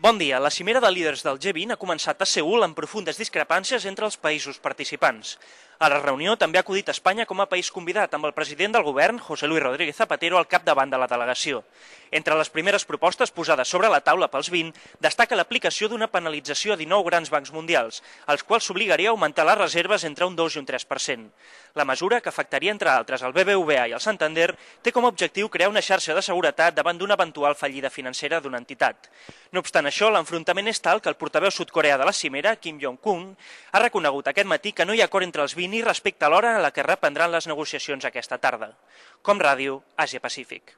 Bon dia. La cimera de líders del G20 ha començat a Seül amb profundes discrepàncies entre els països participants. A la reunió també ha acudit Espanya com a país convidat, amb el president del govern, José Luis Rodríguez Zapatero, al capdavant de la delegació. Entre les primeres propostes posades sobre la taula pels 20, destaca l'aplicació d'una penalització a 19 grans bancs mundials, als quals s'obligaria a augmentar les reserves entre un 2 i un 3%. La mesura, que afectaria entre altres el BBVA i el Santander, té com a objectiu crear una xarxa de seguretat davant d'una eventual fallida financera d'una entitat. No obstant això, l'enfrontament és tal que el portaveu sud-coreà de la cimera, Kim Jong-un, ha reconegut aquest matí que no hi ha acord entre els 20 i respecte a l'hora en la que reprendran les negociacions aquesta tarda. Com Ràdio, Àsia Pacífic.